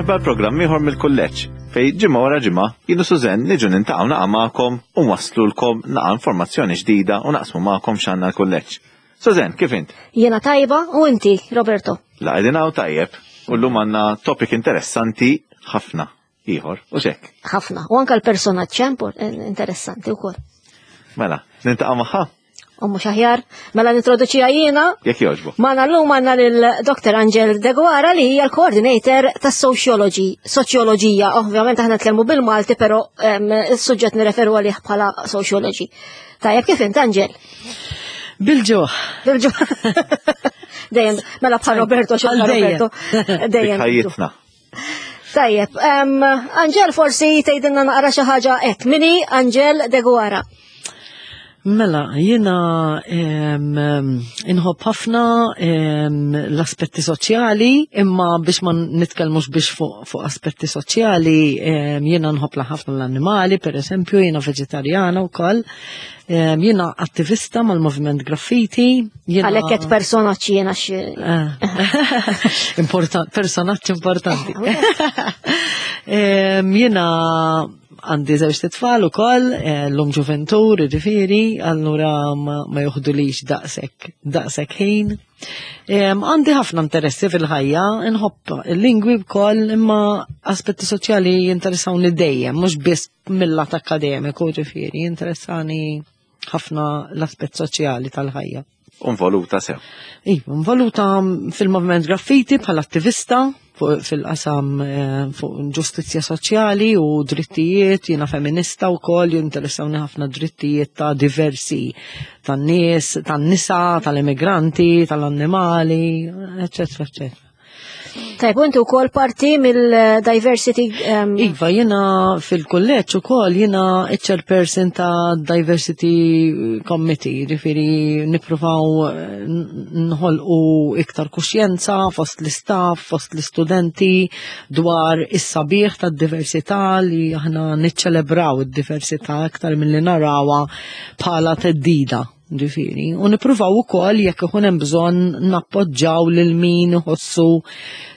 Merħba l-programm ieħor mill-kulleġġ fej ġimgħa wara ġimgħa jien u Sużenn niġu nintaqgħu naqa' magħkom u nwasslulkom naqa' informazzjoni ġdida u naqsmu magħkom x'għandna l-kulleġġ. Sużenn, kif int? Jiena tajba u inti, Roberto? La qegħdin hawn tajjeb u llum għandna topic interessanti ħafna ieħor u xek. Ħafna, u anka l-personaġġ interessanti wkoll. Mela, nintaqa' magħha? U mhux aħjar, mela nintroduċiha jiena. Jekk jogħġbu. Magħna llum għandna lil Dr. Angel Deguara li hija l-coordinator tas-sociology, soċjoloġija. Ovvjament aħna nitkellmu bil-Malti, però is-suġġett nirreferu għalih bħala sociology. Tajjeb kif int Angel? Bil-ġuħ. Bil-ġuħ. Dejjem, mela bħal Roberto, xogħol Roberto. Dejjem. Ħajjitna. Tajjeb, Angel forsi tgħidilna naqra xi ħaġa hekk. Mini Angel Deguara. Mela, jiena inħobb ħafna l-aspetti soċjali, imma biex ma nitkellmux biex fuq fu aspetti soċjali, jiena nħobb ħafna l-annimali, per eżempju, jiena veġetarjana wkoll. Jiena attivista mal-Moviment Graffiti. Għalhekk qed personaġġ jiena xi. Eh. Personaġġ importanti. Eh, jiena għandi żewġ titfal ukoll, eh, l-lum ġuventur, ġifieri, allura ma joħdulix daqshekk daqshekk ħin. Għandi ħafna interessi fil-ħajja, nħobb il-lingwi wkoll, imma aspetti soċjali jinteressawni dejjem, mhux biss mill-lat akademiku ġifieri, jinteressani ħafna l-aspett soċjali tal-ħajja. Involuta sew. Iva, involuta fil-moviment graffiti bħala attivista fil-qasam eh, fuq ġustizzja soċjali u drittijiet, jiena femminista wkoll jinteressawni ħafna drittijiet ta' diversi tan-nies, tan-nisa, tal-immigranti, tal-annimali, eċetera, eċetera. Tajb, u inti wkoll parti mill-diversity. Um... Iva, jiena fil-kulleġġ ukoll jiena chairperson ta' Diversity Committee, ġifieri nippruvaw eh, nħolqu iktar kuxjenza fost l-istaff, fost l-istudenti dwar is-sabiħ tad-diversità li aħna niċċelebraw id-diversità iktar milli narawha bħala teddida. Ġifieri, u nippruvaw ukoll jekk ikun hemm bżonn nappoġġaw lil min iħossu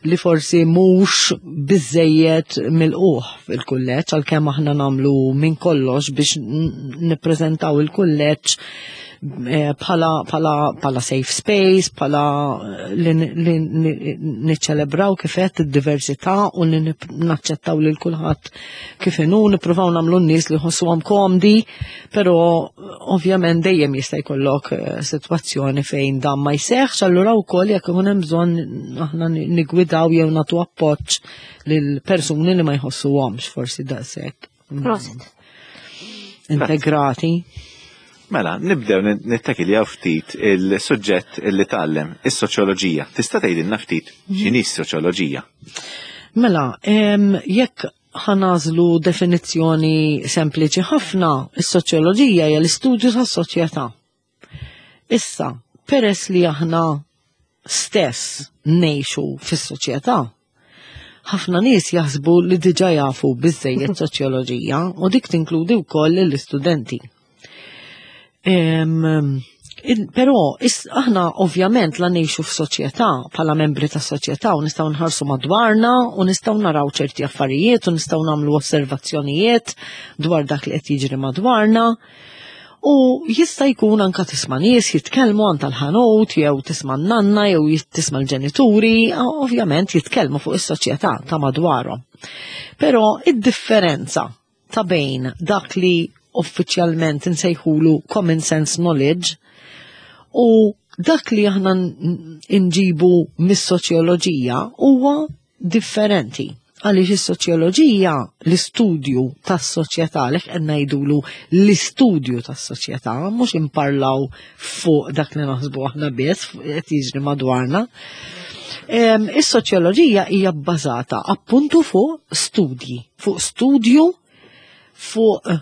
li forsi mhux biżejjed milquh fil-kulleġġ għalkemm aħna nagħmlu minn kollox biex nippreżentaw il-kulleġġ eh, bħala bħala bħala safe space, bħala eh, li niċċelebraw kif qed id-diversità u li naċċettaw lil kulħadd kif inhu nippruvaw nagħmlu n-nies li jħossuhom komdi Però ovvjament dejjem jista' jkollok eh, sitwazzjoni fejn dan ma jseħħx, allura wkoll jekk ikun hemm bżonn aħna nigwidaw jew nagħtu appoġġ lil persuni li ma jħossuhomx forsi daqshekk. Mm. Prosit. Integrati. Mela, nibdew nittakiljaw ftit il-suġġett li tgħallem, is-soċjoloġija. Tista' tgħidilna ftit mhm. x'inhi s-soċjoloġija? Mela, jekk ħa nagħżlu definizzjoni sempliċi ħafna, is-soċjoloġija hija l-istudju tas-soċjetà. Issa, peress li aħna stess ngħixu fis-soċjetà, ħafna nies jaħsbu li diġà jafu biżejjed soċjoloġija u dik tinkludi wkoll lill-istudenti. Però aħna ovvjament la ngħixu f'soċjetà bħala membri ta' soċjetà u nistgħu nħarsu madwarna u nistgħu naraw ċerti affarijiet u nistgħu nagħmlu osservazzjonijiet dwar dak li qed jiġri madwarna. U jista' jkun anka tisma' nies jitkellmu għand tal-ħanut jew tisma' n-nanna jew tisma' l-ġenituri, ovvjament jitkellmu fuq is-soċjetà ta' madwarhom. Però id-differenza ta' bejn dak li uffiċjalment insejħulu common sense knowledge u dak li aħna nġibu mis-soċjoloġija huwa differenti. Għaliex is-soċjoloġija l-istudju tas-soċjetà li qed ngħidulu l-istudju tas-soċjetà mhux imparlaw fuq dak li naħsbu aħna biss qed jiġri madwarna. Is-soċjoloġija hija bbażata appuntu fuq studji fuq studju fuq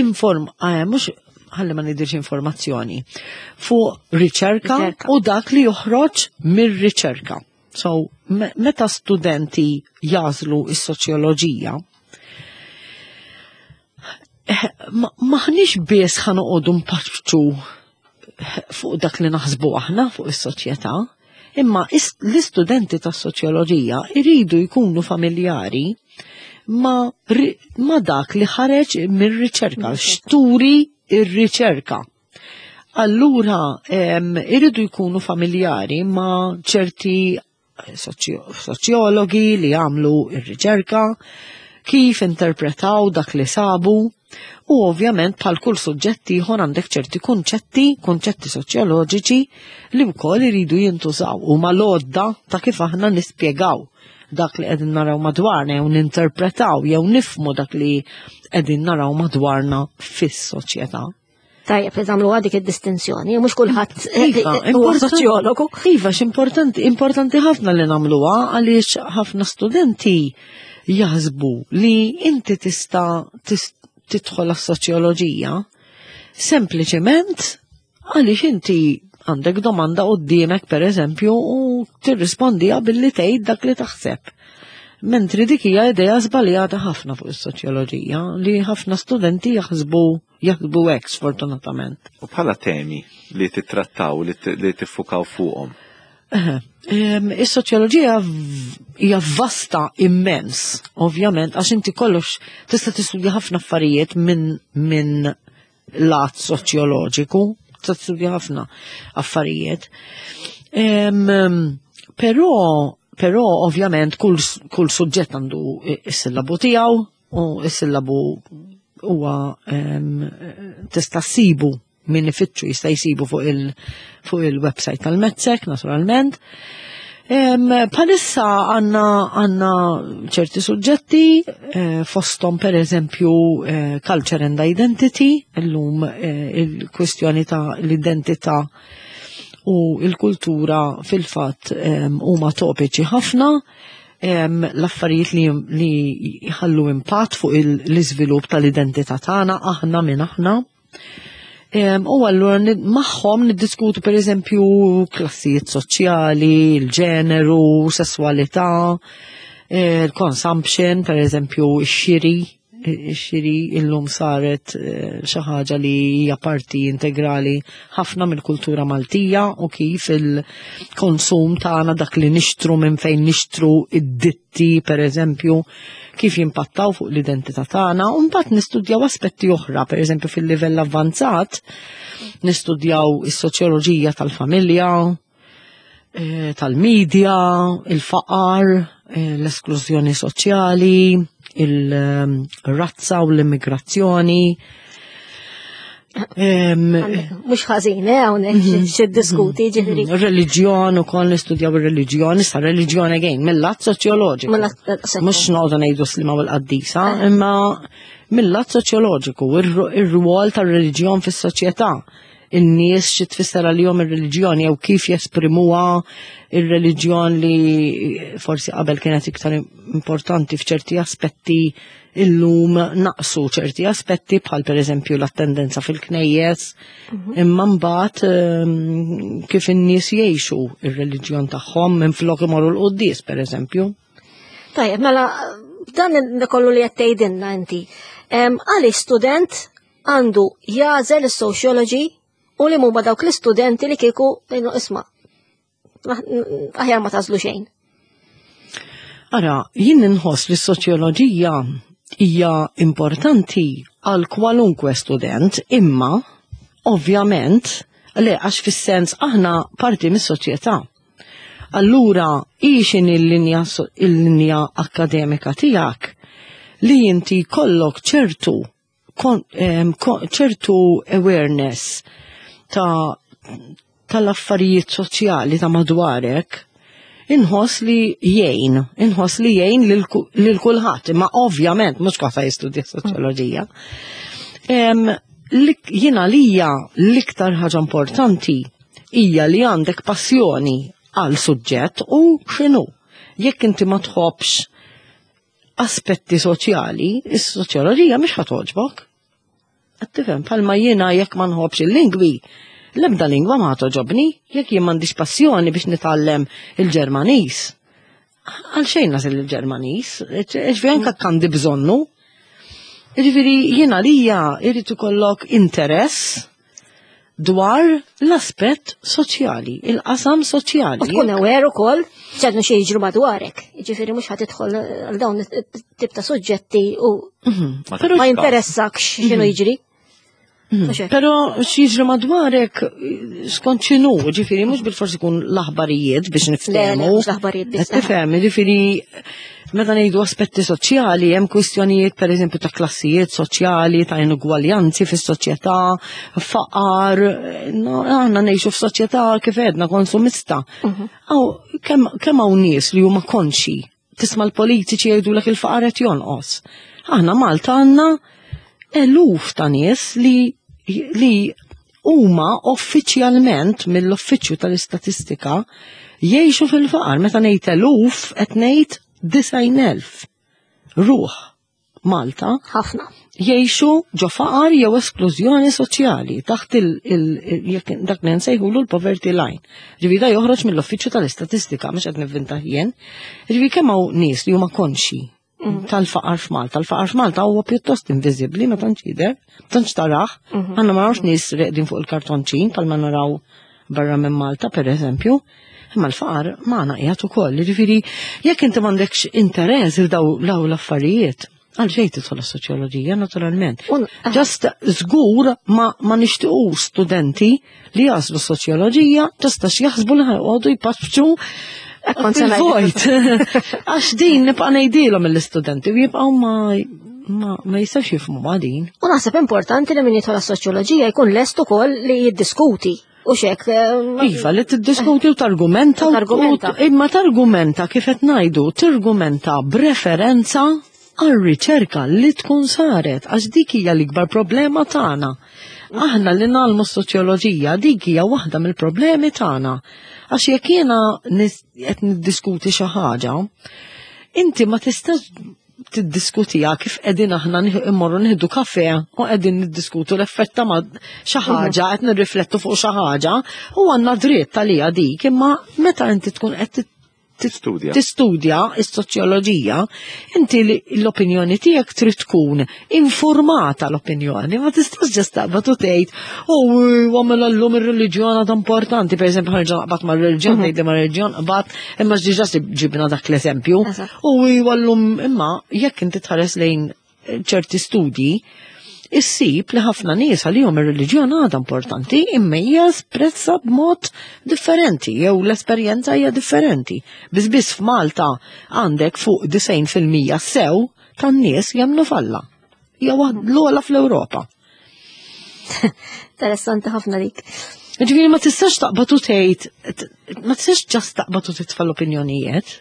inform eh, mhux ħalli ma nidirx informazzjoni fuq riċerka u dak li joħroġ mir-riċerka. So, meta studenti jażlu is-soċjoloġija, eh, maħniex biss ħanoqogħdu mpaċċu fuq dak li naħsbu aħna fuq is-soċjetà, Imma l-istudenti tas-soċjoloġija iridu jkunu familjari ma, ma dak li ħareġ mir-riċerka, xturi ir-riċerka. Allura iridu jkunu familjari ma ċerti soċjologi li għamlu ir-riċerka, kif interpretaw dak li sabu, u ovvjament bħal kull suġġett ieħor għandek ċerti kunċetti, kunċetti soċjoloġiċi li wkoll iridu jintużaw u mal-għodda ta' kif aħna nispjegaw dak li qegħdin naraw madwarna jew ninterpretaw jew nifmu dak li qegħdin naraw madwarna fis-soċjetà. Tajjeb li tagħmlu dik id-distinzjoni, mhux kulħadd iva, huwa soċjologu. Iva, x'importanti, importanti ħafna li nagħmluha għaliex ħafna studenti jaħsbu li inti tista' tidħol għas-soċjoloġija sempliċement għaliex inti għandek domanda qoddiemek per eżempju u tirrispondiha billi tgħid dak li taħseb. Mentri dik hija idea żbaljata ħafna fuq is-soċjoloġija li ħafna studenti jaħsbu jaħsbu hekk sfortunatament. U bħala temi li titrattaw, li tiffukaw fuqhom? Is-soċjoloġija hija vasta immens, ovvjament, għax inti kollox tista' tistudja ħafna affarijiet minn min lat soċjoloġiku, tista' tistudja ħafna affarijiet. Però, però ovvjament kull, kull suġġett għandu is-sillabu tiegħu u is-sillabu huwa tista' ssibu min ifittxu jista' jsibu fuq il fuq il-website tal-Mezzek, naturalment. Palissa għanna għanna ċerti suġġetti, eh, fostom per eżempju eh, culture and identity, illum eh, il-kwestjoni ta' l-identità u il-kultura fil-fatt huma topiċi ħafna l-affarijiet li, li jħallu impatt fuq l-iżvilupp tal-identità tagħna aħna minn aħna. U allura magħhom niddiskutu pereżempju klassijiet soċjali, il-ġeneru, sesswalità, eh, il-consumption, pereżempju x-xiri, ix-xiri illum saret eh, xi ħaġa li hija parti integrali ħafna mill-kultura Maltija u kif il-konsum tagħna dak li nixtru minn fejn nixtru id-ditti pereżempju kif jimpattaw fuq l-identità tagħna u mbagħad nistudjaw aspetti oħra, pereżempju fil-livell avvanzat nistudjaw is-soċjoloġija tal-familja, eh, tal-medja, il-faqar, eh, l-esklużjoni soċjali, il-razza u l-immigrazzjoni. Mux ħażin, eh, hawnhekk mhm. xi diskuti mhm. ġifieri. Reliġjon ukoll nistudjaw ir-reliġjon, issa reliġjon again mill-lat soċjoloġiku. Eh, Mhux noqogħdu ngħidu slima u l-qaddisa, eh. imma mill-lat soċjoloġiku, ir-rwol tar-reliġjon fis-soċjetà in-nies xi tfisser għalihom ir-reliġjon jew kif jesprimuha ir-reliġjon li forsi qabel kienet iktar importanti f'ċerti aspetti illum naqsu ċerti aspetti bħal pereżempju l-attendenza fil-knejjes, mhm. imma mbagħad ehm, kif in-nies jgħixu ir-reliġjon tagħhom minn flok imorru l-quddies pereżempju. Tajjeb, mela dan kollu li qed tgħidilna inti. Ehm, għaliex student għandu jagħżel is-sociology u li huma dawk l-istudenti li kieku isma' aħjar ma tażlu xejn. Ara, jien inħoss li s-soċjoloġija hija importanti għal kwalunkwe student, imma ovvjament le għax fis-sens aħna parti mis-soċjetà. Allura, hi x'inhi l-linja il-linja akademika tiegħek li inti kollok ċertu ċertu awareness ta' tal-affarijiet soċjali ta' madwarek, inħoss li jgħin, inħoss li jgħin lil kulħadd, imma ovvjament mhux kulħadd jistudja soċjoloġija. Jiena lija l-iktar ħaġa importanti hija li għandek passjoni għal suġġett u x'inhu. Jekk inti ma tħobbx aspetti soċjali, is-soċjoloġija mhix ħa togħġbok. Qed tifhem bħalma jiena jekk ma nħobbx il-lingwi, l-ebda lingwa ma toġobni, jekk jien m'għandix passjoni biex nitgħallem il-Ġermaniż. Għal xejn nasil il-Ġermaniż, ġifieri anke għandi bżonnu. Ġifieri jiena lija jrid ikollok interess. dwar l-aspett soċjali, il-qasam soċjali. U tkun aware ukoll x'għadnu xi jiġru madwarek. Jiġifieri mhux ħa tidħol għal dawn it-tip ta' suġġetti u ma jinteressakx x'inhu jiġri. Però x'jiġri madwarek skont x'inhu, ġifieri mhux bil-forsi kun l-aħbarijiet biex niftehmu. Mhux l-aħbarijiet biss. Tifhem, ġifieri meta ngħidu aspetti soċjali hemm kwistjonijiet pereżempju ta' klassijiet soċjali, ta' inugwaljanzi fis-soċjetà, faqar, aħna ngħixu f'soċjetà kif għedna konsumista. Kemm hawn nies li huma konxi, tisma' l-politiċi jgħidulek il-faqar qed jonqos. Aħna Malta għandna eluf ta' nies li huma uffiċjalment mill-Uffiċċju tal-Istatistika jgħixu fil-faqar. Meta ngħid eluf qed ngħid 90,000 ruħ Malta ħafna jgħixu ġo faqar jew esklużjoni soċjali taħt dak li nsejħulu l-poverty line. Ġifieri da joħroġ mill-Uffiċċju tal-Istatistika, mhux qed nivvinta jien. Ġifieri kemm hawn nies li huma konxi tal-faqar f'Malta. Il-faqar f'Malta huwa pjuttost inviżibbli, ma tantx jidher, tantx tarah. Għandna ma narawx nies reqdin fuq il-kartonċin bħalma naraw barra minn Malta, per eżempju. Imma l-faqar magħna qiegħed ukoll. Ġifieri jekk inti m'għandekx interess f'daw l-affarijiet, għal xejn tidħol is-soċjoloġija naturalment. Just żgur ma nixtiequx studenti li jagħżlu soċjoloġija just għax jaħsbu li ħajqogħdu jpaċċu fil-vojt. Għax din nibqa' ngħidilhom mill-istudenti u jibqgħu ma jistax jifhmu ma din. U naħseb importanti li min jidħol għas-soċjoloġija jkun lest ukoll li jiddiskuti. U xek. Iva, li tiddiskuti u targumenta. Imma targumenta kif qed ngħidu, targumenta b'referenza għal riċerka li tkun saret, għax dik hija l-ikbar problema tagħna. Aħna li nagħmlu soċjoloġija dik hija waħda mill-problemi tagħna. Għax jekk jiena qed niddiskuti xi ħaġa, inti ma tistax tiddiskutiha kif qegħdin aħna immorru nieħdu kafe u qegħdin niddiskutu l-effett ta' xi ħaġa qed nirriflettu fuq xi ħaġa u għandna dritt għaliha dik, imma meta inti tkun qed Tistudja. Tistudja is-soċjoloġija, inti l-opinjoni tiegħek trid tkun informata l-opinjoni, ma tistax just taqbad u tgħid, oh, għamel llum ir-reliġjon għadha importanti, pereżempju ħarġa naqbad mar-reliġjon, tgħid mar-reliġjon qbad, imma ġiġa ġibna dak l-eżempju. U llum imma jekk inti tħares lejn ċerti studji, issib li ħafna nies għalihom ir-reliġjon għadha importanti imma hija espressa b'mod differenti jew l-esperjenza hija differenti. Biss biss f'Malta għandek fuq 90% sew tan-nies jemmnu f'Alla. Hija l-ogħla fl-Ewropa. Interessanti ħafna dik. Ġifieri ma tistax taqbad u tgħid, ma tistax just taqbad u titfa' l-opinjonijiet.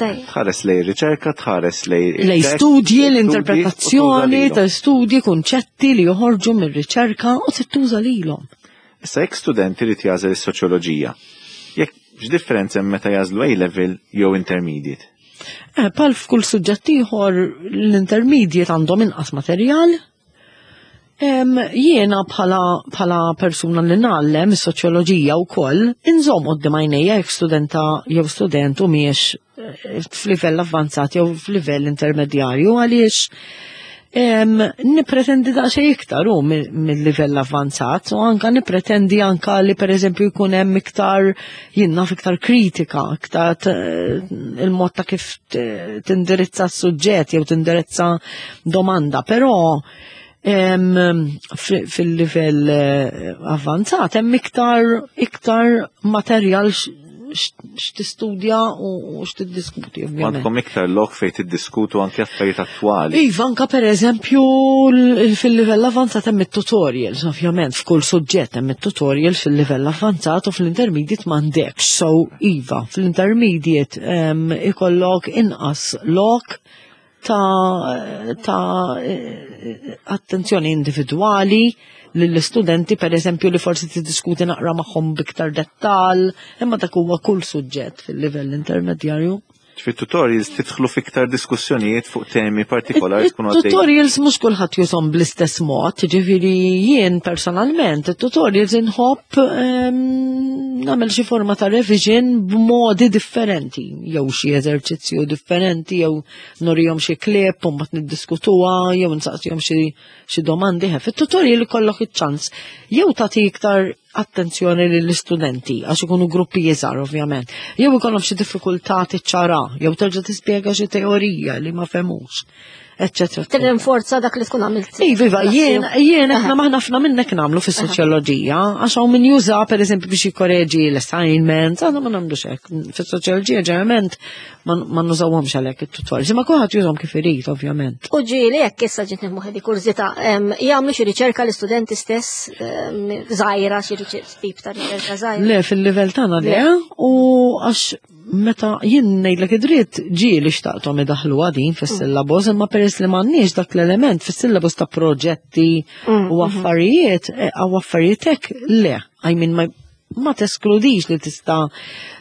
Tħares lej riċerka, tħares lej lej studji, l-interpretazzjoni ta' studji, kunċetti li joħorġu mir-riċerka u tittuża lilhom. Issa jekk student irid jagħżel is-soċjoloġija, jekk x'differenza hemm meta jagħżlu A level jew intermediate? Bħal f'kull suġġett ieħor l-intermediate għandhom inqas materjal. Jiena bħala persuna li ngħallem is-soċjoloġija wkoll inżomm quddiem għajnejja jekk studenta jew student u miex f'livell avvanzat jew f'livell intermedjarju, għaliex nipretendi daqsxejn iktar u mill-livell avvanzat, u anka nipretendi anka li pereżempju jkun hemm iktar, jien naf, iktar kritika, iktar il-mod ta' kif tindirizza s-suġġett jew tindirizza domanda, però fil-livell avvanzat hemm iktar materjal x'tistudja u x'tiddiskuti, ovvjament. Għandkom iktar lok fejn tiddiskutu anke affarijiet attwali. Iva, anka per eżempju fil-livell avvanzat hemm it-tutorials, ovvjament f'kull suġġett hemm it-tutorials fil-livell avvanzat u fl-intermediate m'għandekx. So iva, fl-intermediate ikollok inqas lok ta' attenzjoni individwali lill-istudenti, per eżempju, li forsi tiddiskuti naqra magħhom biktar dettal, imma dak huwa kull suġġett fil-livell intermedjarju. Fit-tutorials tidħlu fiktar diskussjonijiet fuq temi partikolari tkun għaddej. Tutorials mhux kulħadd jużhom bl-istess mod, ġifieri jien personalment it-tutorials inħobb nagħmel xi forma ta' revision b'modi differenti, jew xi eżerċizzju differenti, jew norihom xi clip u mbagħad niddiskutuha, jew nsaqsihom xi domandi. Fit-tutorial ikollok iċ-ċans jew tagħti iktar attenzjoni lill-istudenti għax ikunu gruppi iżgħar ovvjament. Jew ikollhom xi diffikultà tiċċara, jew terġa' tispjega xi teorija li ma fehmux, eċċetera. Tirrinforza dak li tkun għamilt. Iva, iva, jien aħna maħna ħafna minnek nagħmlu fis-soċjoloġija, għax hawn min juża pereżempju biex jikkoreġi l-assignments, aħna ma nagħmlux hekk. Fis-soċjoloġija ġeneralment ma nużawhomx għalhekk it-tutorials, imma kulħadd jużhom kif irid ovvjament. U ġieli hekk issa ġiet moħħi di kurżità, jagħmlu xi riċerka l-istudenti stess żgħira, xi tip ta' riċerka żgħira. Le, fil-livell tagħna le, u għax meta jien ngħidlek id-dritt ġieli xtaqthom idaħħlu din fis-syllabus, imma peress li m'għandniex dak l-element fis-syllabus ta' proġetti u affarijiet, għaw affarijiet hekk le, I mean ma teskludix li tista'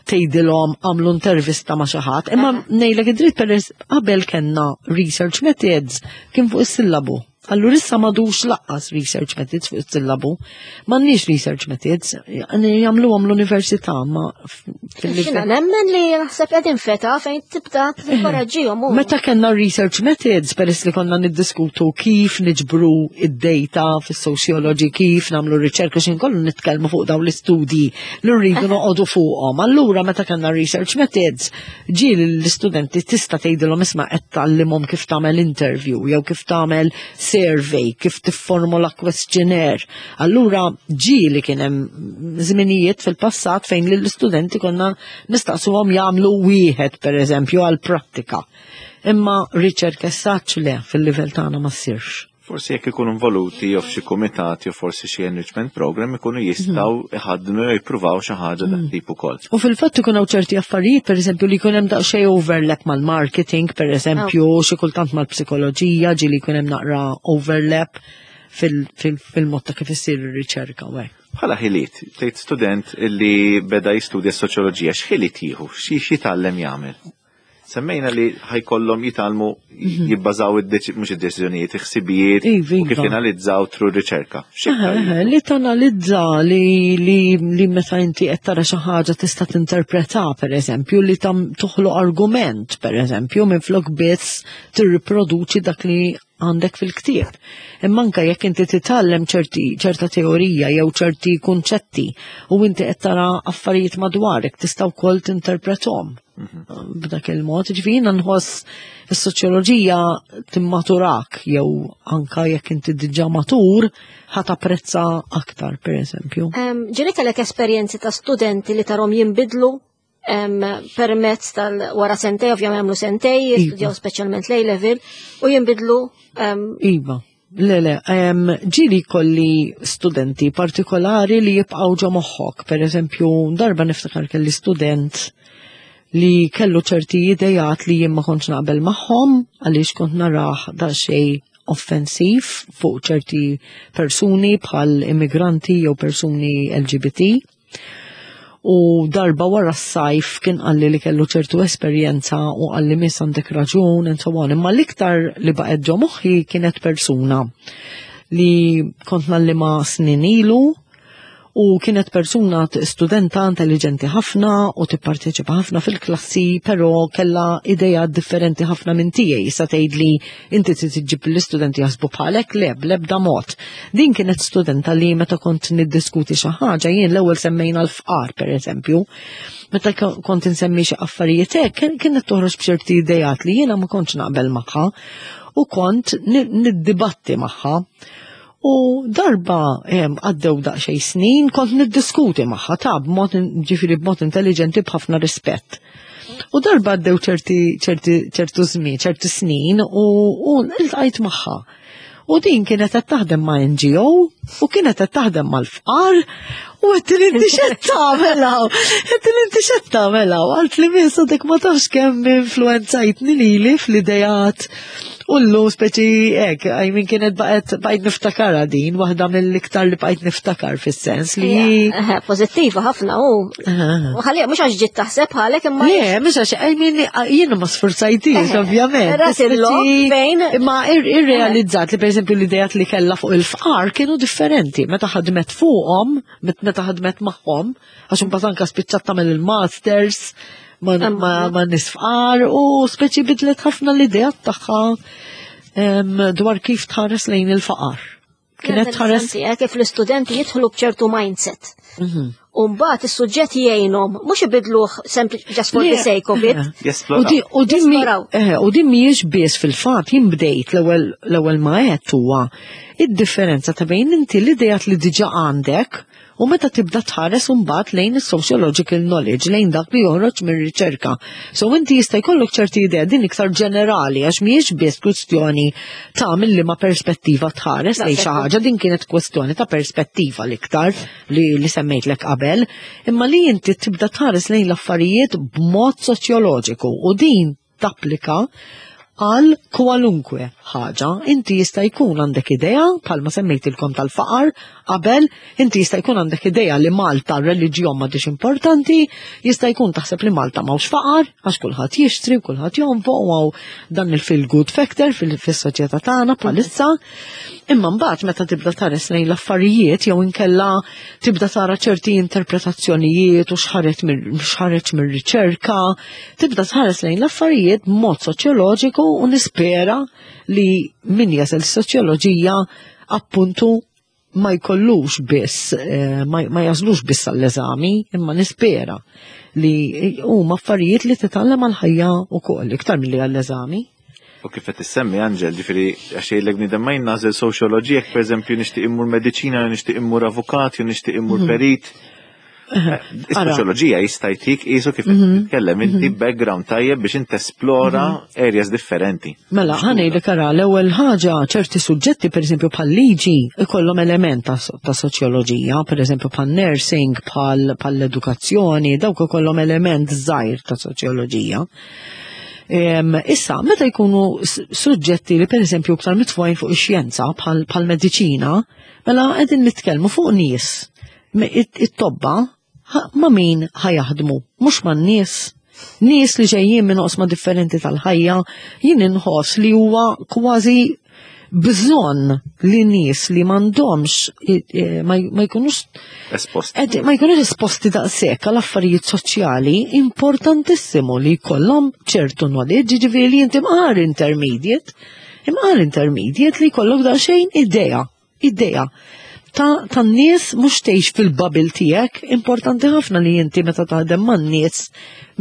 tgħidilhom għamlu intervista ma' xi ħadd, imma ngħidlek id-dritt peress qabel kellna research methods kien fuq is-sillabu. Allura issa m'għadux lanqas research methods fuq is-sillabu. M'għandniex research methods, jagħmluhom l-università ma Jiena nemmen li naħseb qegħdin f'età fejn tibda tinkoraġġihom. Meta kellna research methods, peress li konna niddiskutu kif niġbru id-data fis-sociology, kif nagħmlu riċerka, xin kollu nitkellmu fuq dawn l-istudji li rridu noqogħdu fuqhom. Allura meta kellna research methods, ġieli l-istudenti tista' tgħidilhom isma' qed tgħallimhom kif tagħmel interview jew kif tagħmel survey, kif tifformula questionnaire. Allura ġieli kien hemm żminijiet fil-passat fejn lill-istudenti konna nistaqsuhom jagħmlu wieħed pereżempju għal prattika. Imma riċerka saċ le fil-livell tagħna ma ssirx. Forsi jekk ikunu involuti jew f'xi kumitat jew forsi xi enrichment program ikunu jistgħu iħaddnu jew jippruvaw xi ħaġa dak tip ukoll. U fil-fatt ikun hawn ċerti affarijiet, pereżempju, li jkun hemm daqsxejn overlap mal-marketing, pereżempju, xi kultant mal-psikoloġija, ġieli jkun hemm naqra overlap fil-mod ta' kif issir ir-riċerka u hekk. Bħala ħiliet, tgħid student li beda jistudja soċjoloġija, x'ħiliet jieħu, xi jitgħallem jagħmel? Semmejna li ħa jkollhom jitgħallmu jibbażaw mhux id-deċiżjonijiet, il-ħsibijiet u kif janalizzaw through riċerka. X'iktar Eħe, li tanalizza li meta inti qed tara xi ħaġa tista' tinterpreta, pereżempju, li tam toħloq argument, pereżempju, minflok biss tirriproduċi dak li għandek fil-ktieb. Imma anke jekk inti titgħallem ċerta teorija jew ċerti kunċetti u inti qed tara affarijiet madwarek tista' wkoll tinterprethom b'dak il-mod. Ġifieri jiena nħoss is-soċjoloġija timmaturak jew anka jekk inti diġà matur ħa tapprezza aktar, pereżempju. Ġieli kellek esperjenzi ta' studenti li tarahom jinbidlu permezz tal wara sentej, ovvjament għamlu sentej, jistudjaw speċjalment l level u jinbidlu? Iva. Le, le, ġieli kelli studenti partikolari li jibqaw ġo moħħok. Per eżempju, darba niftakar kelli student li kellu ċerti idejat li jien ma kontx naqbel magħhom għaliex kont narah daqsxejn offensiv fuq ċerti persuni bħal immigranti jew persuni LGBT. U darba wara s-sajf kien qalli li kellu ċertu esperjenza u qalli, "Miss, għandek raġun," and so on. Imma l-iktar li baqgħet ġo moħħi kienet persuna li kont ngħallimha snin ilu u kienet persuna studenta intelligenti ħafna u tipparteċipa ħafna fil-klassi, però kella ideja differenti ħafna minn tiegħi. Sa tgħid li inti trid iġġib l-istudenti jaħsbu bħalek, le, bl-ebda mod. Din kienet studenta li meta kont niddiskuti xi ħaġa, jien l-ewwel semmejna l-fqar pereżempju, meta kont insemmi xi affarijiet hekk, kienet toħroġ b'ċerti idejat li jiena ma kontx naqbel magħha u kont niddibatti magħha. U darba għaddew daqsxejn snin kont niddiskuti magħha ta' b'mod ġifieri b'mod intelligenti, b'ħafna rispett. U darba għaddew ċerti ċerti ċertu żmien, ċerti snin u iltqajt magħha. U din kienet qed taħdem ma' NGO u kienet qed taħdem mal-fqar. U għedtilha inti x'qed tagħmel hawn? Għedtilha inti x'qed tagħmel hawn? Qaltli miss għadek ma tafx kemm influenzajtni lili fl-idejat. U llum speċi hekk, I mean kienet baqgħet bqajt niftakarha din, waħda mill-iktar li bqajt niftakar fis-sens li. Pożittiva ħafna u. U ħalli mhux għax ġiet taħseb bħalek imma. Le, mhux għax I mean jiena ma sfurzajtix ovvjament. Rat il-lok fejn. Imma irrealizzat li pereżempju l-idejat li kellha fuq il-fqar kienu differenti meta ħadmet fuqhom, meta ħadmet magħhom, għax imbagħad anke spiċċat tagħmel il-masters ma' nies fqar u speċi bidlet ħafna l-idea tagħha dwar kif tħares lejn il-faqar. Kienet tħares. Kif l-istudenti jidħlu b'ċertu mindset. U mbagħad is-suġġett jgħinhom mhux ibidluh just for the sake of it. U din mhijiex biss fil-fatt jien bdejt l-ewwel ma għedt huwa id-differenza ta' bejn inti l-idejat li diġà għandek u meta tibda tħares imbagħad lejn is-sociological knowledge, lejn dak li joħroġ mir-riċerka. So inti jista' jkollok ċerti idea din iktar ġenerali għax mhijiex biss kwistjoni ta' minn liema perspettiva tħares lejn xi ħaġa, din kienet kwestjoni ta' perspettiva l-iktar li, li semmejtlek qabel, imma li inti tibda tħares lejn l-affarijiet b'mod soċjoloġiku u din tapplika għal kwalunkwe ħaġa. Inti jista' jkun għandek idea, bħalma semmejtilkom tal-faqar, qabel, inti jista' jkun għandek idea li Malta r-reliġjon m'għadix importanti, jista' jkun taħseb li Malta m'hawnx faqar, għax kulħadd jixtri u kulħadd jonfoq u hawn dan il-feel good factor fis-soċjetà tagħna bħalissa. Imma mbagħad meta tibda tħares lejn l-affarijiet jew inkella tibda tara ċerti interpretazzjonijiet u x'ħareġ mir-riċerka, tibda tħares lejn l-affarijiet b'mod soċjoloġiku u nispera li min jasal soċjoloġija appuntu ma jkollux biss, ma jażlux biss għall-eżami, imma nispera li huma affarijiet li titgħallem għal-ħajja wkoll iktar milli għall-eżami. U kif qed issemmi Angel, ġifieri għax jgħidlek bniedem ma jien soċjoloġija, jekk pereżempju nixtieq immur mediċina, nixtieq immur avukat, jew nixtieq immur perit. Is-soċjoloġija jista' jtik qisu kif qed titkellem inti background tajjeb biex inti esplora areas differenti. Mela, ħa ngħidlek ara, l-ewwel ħaġa ċerti suġġetti, per eżempju bħal liġi, ikollhom element ta' soċjoloġija, per eżempju bħal nursing, bħal edukazzjoni, dawk ikollhom element żgħir ta' soċjoloġija. Issa, meta jkunu suġġetti li per eżempju iktar mitfugħin fuq ix-xjenza bħal mediċina, mela qegħdin nitkellmu fuq nies. It-tobba ma' min ħa jaħdmu, mhux ma' nies. Nies li ġejjin minn oqsma differenti tal-ħajja, jien inħoss li huwa kważi bżonn li nies li m'għandhomx ma jkunux esposti. Ma jkunux esposti daqshekk għal affarijiet soċjali, importantissimu li jkollhom ċertu knowledge, ġifieri li inti mqar intermediate, imqar intermediate li jkollok daqsxejn idea ta' tan-nies mhux tgħix fil-bubble tiegħek, importanti ħafna li inti meta taħdem man-nies,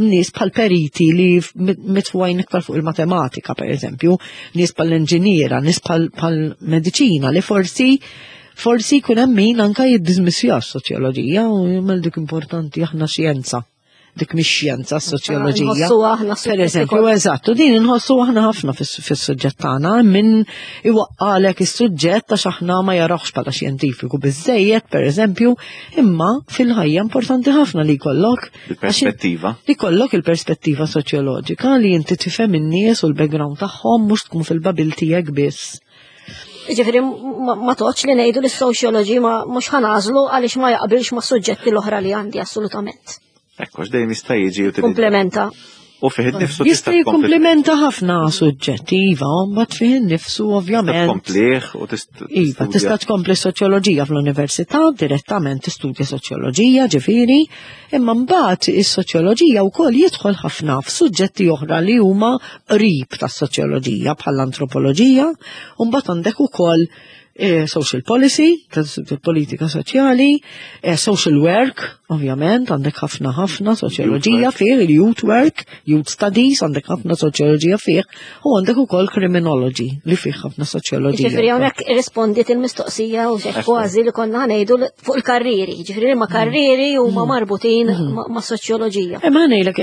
nies bħal periti li mitfugħin iktar fuq il-matematika, per eżempju, nies bħal inġiniera, nies bħal mediċina li forsi jkun hemm min anka jiddismissja s-soċjoloġija u jagħmel dik importanti aħna xjenza. Dik mhix xjenza s-soċjoloġija. Nħossu aħna Per eżempju, eżattu, din inħossu aħna ħafna fis-suġġett tagħna, min iwaqqalek is-suġġett għax aħna ma jarawx bħala xjentifiku biżejjed, per eżempju, imma fil-ħajja importanti ħafna li jkollok Il-perspettiva. Li jkollok il-perspettiva soċjoloġika li inti tifhem in-nies u l-background tagħhom mhux tkun fil-bubble tiegħek biss. Ġifieri ma toqgħodx li ngħidu li s-sociology ma mhux ħa nagħżlu għaliex ma jaqbilx ma' suġġetti l-oħra li għandi assolutament. Ekku, dejjem jista' jiġi u Komplementa. U fih innifsu Jista' jikkomplementa ħafna suġġetti, iva, mbagħad fih innifsu ovvjament. Tkomplih u tista' Iva, tista' tkompli soċjoloġija fl-università, direttament tistudja soċjoloġija, ġifieri, imma mbagħad is-soċjoloġija wkoll jidħol ħafna f'suġġetti oħra li huma qrib tas-soċjoloġija bħall-antropoloġija, u mbagħad għandek ukoll social policy, politika soċjali, social work, ovvjament, għandek ħafna ħafna soċjoloġija fih, il-youth work, youth studies, għandek ħafna soċjoloġija fih, u għandek ukoll criminology li fih ħafna soċjoloġija. Ġifieri hawnhekk irrispondiet il-mistoqsija u xek kważi li konna ngħidu fuq il-karriri, ġifieri ma karriri huma marbutin ma' soċjoloġija. Imma ngħidlek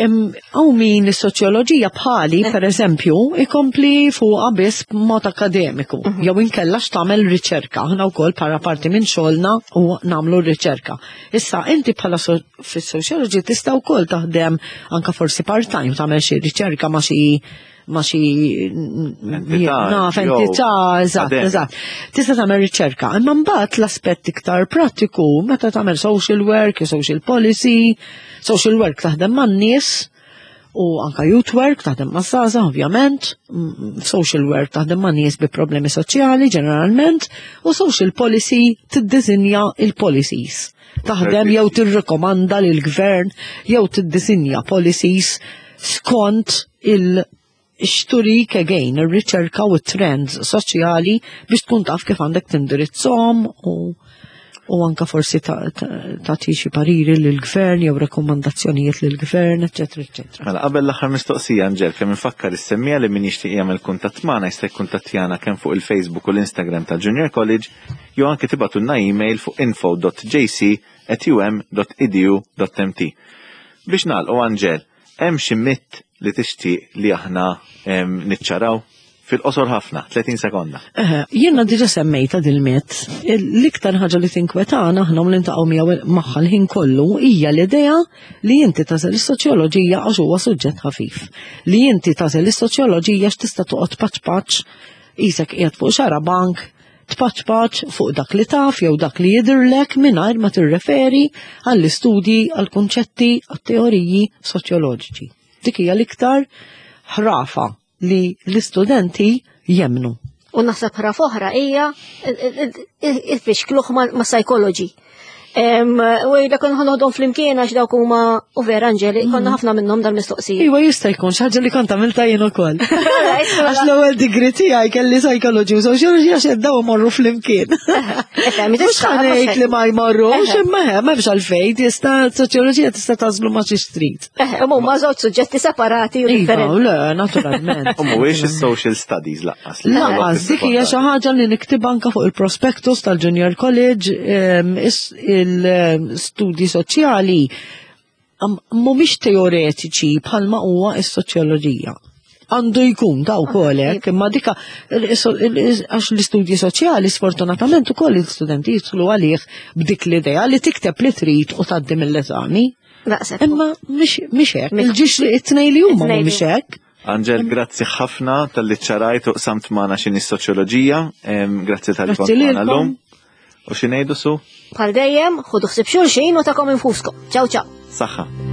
hawn min is-soċjoloġija bħali, per eżempju, ikompli fuqha biss b'mod akademiku, jew inkella x'tagħmel riċerka. riċerka. Aħna wkoll bħala parti minn xogħolna u nagħmlu riċerka. Issa inti bħala fis-sociology tista' wkoll taħdem anka forsi part-time tagħmel xi riċerka ma' xi ma xi naf entità, eżatt, eżatt. Tista' tagħmel riċerka, imma mbagħad l-aspett iktar prattiku meta tagħmel social work, social policy, social work taħdem man-nies u anka youth work taħdem ma' żgħażagħ ovvjament, social work taħdem ma' nies bi problemi soċjali ġeneralment u social policy tiddisinja il-policies. Taħdem jew tirrekomanda lil gvern jew tiddisinja policies skont il xturik again ir-riċerka u trends soċjali biex tkun taf kif għandek tindirizzhom u u anka forsi tagħti xi pariri lill-gvern jew rakkomandazzjonijiet lill-gvern, eċetera, eċetera. Mela qabel l-aħħar mistoqsija Anġel, kemm infakkar is-semmija li min jixtieq jagħmel kuntatt magħna jista' jikkuntattjana kemm fuq il-Facebook u l-Instagram ta' Junior College jew anke tibgħatulna email fuq info.jc@um.edu.mt. Biex nagħlqu Anġel, hemm xi mit li tixtieq li aħna niċċaraw? Fil-qosor ħafna, 30 sekonda. Jiena diġa semmejta dil-mit. L-iktar ħaġa li tinkwetana aħna u niltaqgħu miegħu magħha l-ħin kollu hija l-idea li inti tagħżel is-soċjoloġija għax huwa suġġett ħafif. Li inti tagħżel is-soċjoloġija x'tista' toqgħod paċ paċ qisek qiegħed fuq xarabank tpaċpaċ fuq dak li taf jew dak li jidhirlek mingħajr ma tirreferi għall-istudji, għall-kunċetti, għat-teoriji soċjoloġiċi. Dik hija l-iktar ħrafa li l-istudenti jemmnu. U naħseb ħrafa oħra hija il-fixkluħ ma' psychology. U jgħidlek konna ħanoħdhom flimkien għax dawk huma u vera Anġeli, konna ħafna minnhom dal-mistoqsijiet. Iva jista' jkun xi ħaġa li kont għamilta jien ukoll. Għax l-ewwel degree tiegħi kelli psychology u sociology għax qed daw imorru flimkien. Mhux ħanejt li ma jmorrux, imma m'hemmx għalfejn, tista' soċjoloġija tista' tażlu ma' xi trid. Huma żewġ suġġetti separati u iva, differenti. Le, naturalment. U mhuwiex is-social studies laqqas. Laqqas, dik hija xi ħaġa li niktib anka fuq il-prospektus tal-Junior College, il-studji soċjali mhumiex teoretiċi bħalma huwa s-soċjoloġija. Għandu jkun ta' wkoll hekk, imma dika għax l-istudji soċjali sfortunatament ukoll l-istudenti jidħlu għalih b'dik l-idea li tikteb li trid u tgħaddi mill-eżami. Daqshekk. Imma mhix hekk, il-ġiex li it-tnejn li huma mhumiex hekk. Angel, grazzi ħafna tal-li ċarajt u qsamt magħna x'inhi s-soċjoloġija, grazzi tal-li kont magħna llum. U xi ngħidu su? Bħal dejjem, ħudu ħsieb xulxin u takom infuskom. Ciao ciao. Saħħa.